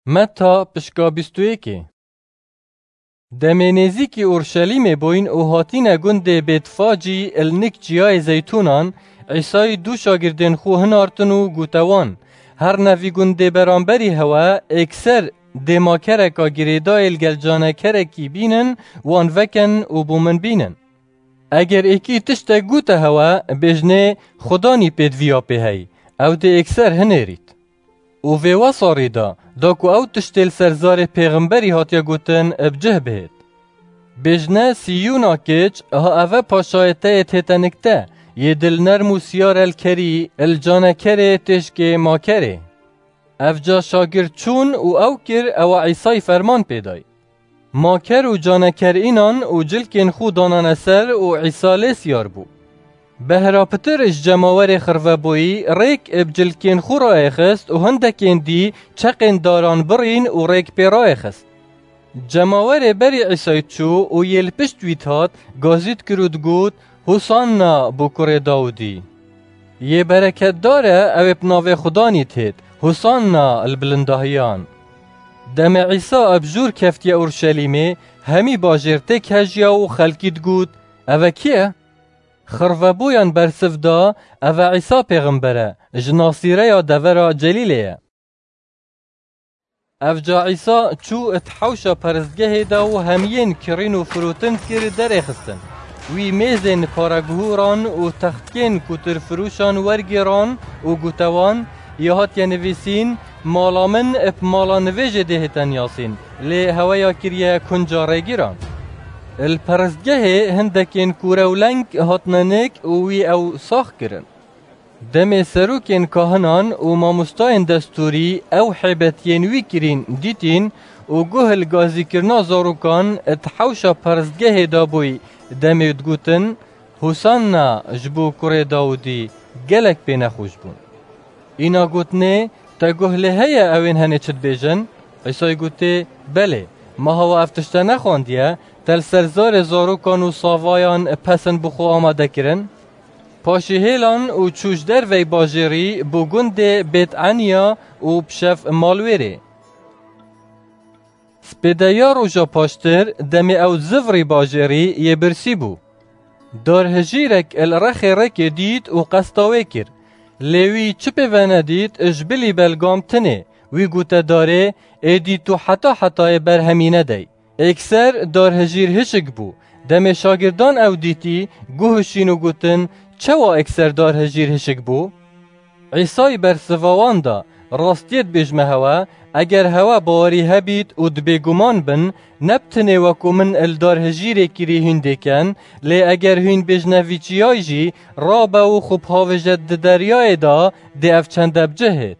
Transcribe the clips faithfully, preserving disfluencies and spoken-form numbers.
Meta pişka bîst û yekê. Demê nêzîkî Urşelîmê bûyn û hatîne gundê Bêtfacî il nik Çiyayê Zeytûnan, Îsayî du şagirdên xwe hinartin û gote wan, Herne vî gundê beramberî hewe, êkser dê makereka girêdayê li gel canekerekî bînin, wan vekin û bo min bînin. Eger êkî tiştek gote hewe, bêjnê, Xudanî pêdiviya pê hey, ew dê êkser hinêrît. Û vê wesa rê da, da ku ew tiştê li ser zarê pêxemberî hatiye gotin, bi cih bihêt. Bêjne, Siyûna kiç, ha eve paşayê te yê têtenik te, yê dil nerm û siyar el kerî, il canekerê têşkê makerê. Evca şagird çûn û ew kir ewa Îsayî ferman pê day. Maker û caneker înan û cilkên xwe danane ser û Îsa lê siyar bû. Behra pitir ji cemawerê xirvebûyî rêk bi cilkên xwe raêxist û hindekên dî çeqên daran birîn û rêk pê raêxist. Cemawerê berî Îsayî çû û yê li pişt wî dihat, gazî dikir û digot, Hosanna bo kurê Dawidî. Yê bereketdar e ew ê bi navê Xudanî têt, Hosanna li bilindahiyan. Demê Îsa bi jûr keftiye Urşelîmê, hemî bajêr têk hejiya û xelkî digot, Eve kî ye? Xirvebûyan bersiv da, Eve Îsa pêxember e, ji Nasîreya devera Celîlê ye. Evca Îsa çû di hewşa peristgehê de û hemiyên kirîn û firotin kir derêxistin. Wî mêzên pareguhûran û textkên kutirfirûşan wergêran û gote wan, Ya hatiye nivîsîn, mala min bi mala nivêjê dê hête niyasîn, lê hewe ya kiriye kunca rêgîran. Li peristgehê hindekên kûre û leng hatine nik û wî ew sax kirin. Demê serokên kahinan û mamostayên destûrî ew hêbetiyên wî kirîn dîtîn û guh li gazîkirina zarokan di hewşa peristgehê de bûy demê digotin, Hosanna ji bo kurê Dawidî, gelek pê nexweş bûn. Îna gotinê, Te guh lê heye ew ên henê çi dibêjin? Îsayî gotê, Belê, ma hewa ev tişte nexwandiye, te li ser zarê zarokan û savayan pesin bi xwe amade kirin? Paşî hêlan û çû ji dervey bajêrî bo gundê Bêt Eniya û bi şev mal wêrê. Spêdeya roja paştir demê ew zivrî bajêrî yê birsî bû. Darhijîrek li rexê rêkê dît û qesta wê kir. Lê wî çi pê venedît ji bilî belgam tinê. Wî gote darê, Êdî tu heta hetayê berhemî nedey. Êkser darhijîr hişik bû. Demê şagirdan ew dîtî, guh şîn û gotin, Çawa êkser darhijîr hişik bû? Îsayî bersiva wan da, Rastiyê dibêjme hewe, eger hewe bawerî hebît û di bêguman bin, ne bi tinê wekû min li darhijîrê kirî hîn dêken, lê eger hîn bêjne vî çiyayî jî, rabe û xwe bihawêje di deryayê de, dê ev çende bi cih hêt.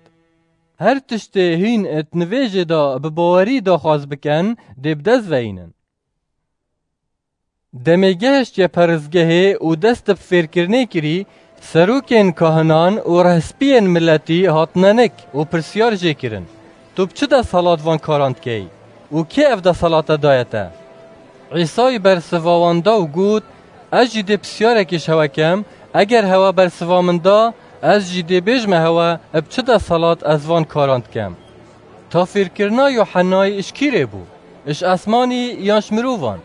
Her tiştê hîn di nivêjê de bi bawerî daxwaz bikin, dê bi dest veyînin. Demê gehiştiye peristgehê û dest bi fêrkirinê kirî, serokên kahinan û rehspiyên miletî hatine nik û pirsyar jê kirin, Tu bi çi desthilat van karan dikey û kê ev desthilat te daye te? Îsayî bersiva wan da û got, Ez jî dê pisyarekî ji hewe kem, eger hewe bersiva min da, ez jî dê bêjme hewe bi çi desthilat ez van karan dikem. Tafîrkirina Yuhennayê ji kî rê bû? Ji esmanî yan ji mirovan?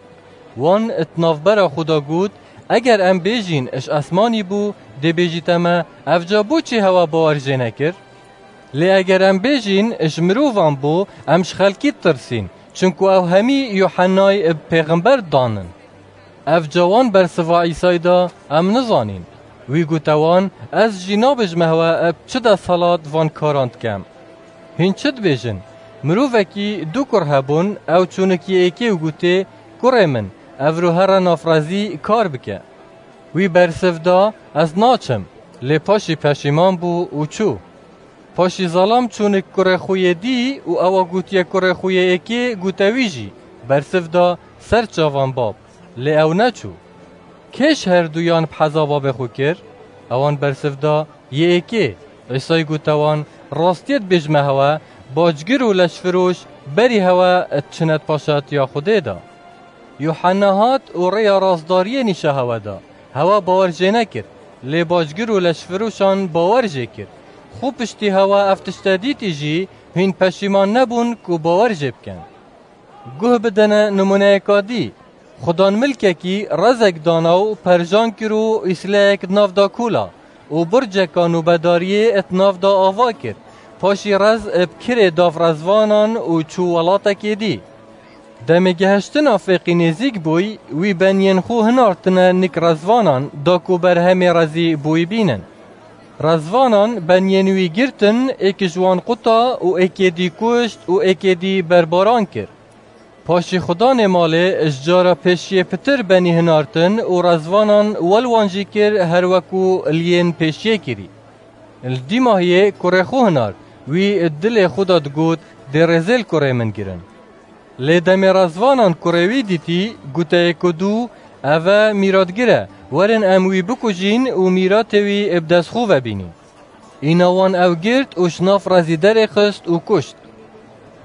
Wan di navbera xwe de got, Eger em bêjîn ji esmanî bû, dê bêjîte me, Ev ca bo çi hewa bawer jê nekir? Lê eger em bêjîn ji mirovan bû, em ji xelkî ditirsîn, çinku ew hemî Yuhennayê bi pêxember didanin. Ev ca wan bersiva Îsayî da, Em nizanîn. Wî gote wan, Ez jî nabêjime hewe bi çi desthilat van karan dikem. Hîn çi dibêjin? Mirovekî du kur hebûn, ew çû nik yê êkê û gotê, Kurê min, evro here nafrezî kar bike. Wî bersiv da, Ez naçim. Lê paşî peşîman bû û çû. Paşî zelam çû nik kurê xwe yê dî û ewa gotiye kurê xwe yê êkê, gote wî jî. Bersiv da, Ser çavan bab. Lê ew neçû. Kê ji herduyan bi heza babê xwe kir? Ewan bersiv da, Yê êkê. Îsayî gote wan, Rastiyê dibêjime hewe, bacgir û leşfiroş berî hewe diçine di paşatiya Xwedê de. Yuhanna hat û rêya rastdariyê nîşa hewe da. Hewe bawer jê nekir. Lê bacgir û leşfiroşan bawer jê kir. Xwe piştî hewe ev tişte dîtî jî, Hîn peşîman nebûn ku bawer jê bikin. Guh bidene nimûneyeka dî. Xudan milkekî rezek dana û perjan kir û îsleyek di nav da kûla û burceka nûbedariyê di nav da ava kir. Paşî rez bi kirê dav rezvanan û çû welatekê dî. Demê gehiştina fêqî nêzîk bûy, wî beniyên xwe hinartine nik rezvanan da ku berhemê rezî bûy bînin. Rezvanan beniyên wî girtin, êkî ji wan quta û êkê dî kuşt û êkê dî berbaran kir. Paşî xudanê malê ji cara pêşiyê pitir benî hinartin û rezvanan wel wan jî kir her weku li yên pêşiyê kirî. Li dîmahiyê kurê xwe hinart, wî di dilê xwe de digot, dê rêzê li kurê min girin. Lê demê rezvanan kurê wî dîtî, goteyê ku dû, ev e mîratgir e, werin em wî bikujîn û mîratê wî bi dest xwe ve bînîn. Îna wan ew girt û ji nav rezî derê xist û kuşt.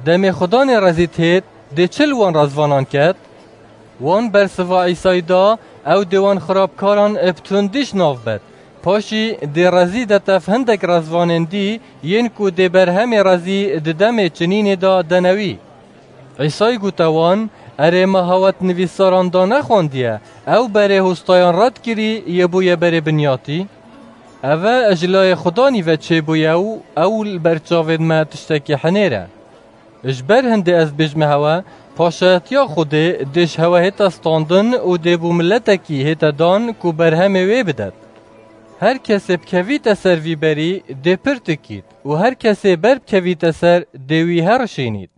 Demê xudanê rezî têt, dê çi li wan rezvanan ket? Wan bersiva Îsayî da, ew dê wan xirabkaran bi tundî ji nav bet. Paşî dê rezî de tev hindek rezvanên dî yên ku dê berhemê rezî di demê çinînê de dene wî. Îsayî gote wan, erê me hawet nivîsaran da nexwandiye, ew berê hostayan red kirî yê bûye berê binyatî? Ev e ji layê xudanî ve çêbûye û ew li ber çavên me tiştekî hinêr e. Ji ber hindê ez bêjme hewe, paşayetiya Xwedê dê ji hewe hête standin û dê bû miletekî hête dan ku berhemê wê bidet. Her kesê bikevîte ser vî berî dê pir tikît û her kesê ber bikevîte ser dê wî herişînît.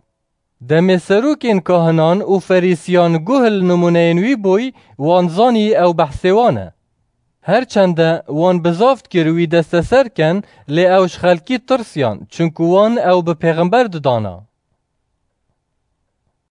Demê serokên kahinan û ferîsiyan guh li nimûneyên wî bûy, wan zanî ew behsê wan e. Her çende wan bizav dikir wî desteser ken, lê ew ji xelkî tirsiyan, çunku wan ew bi pêxember didana.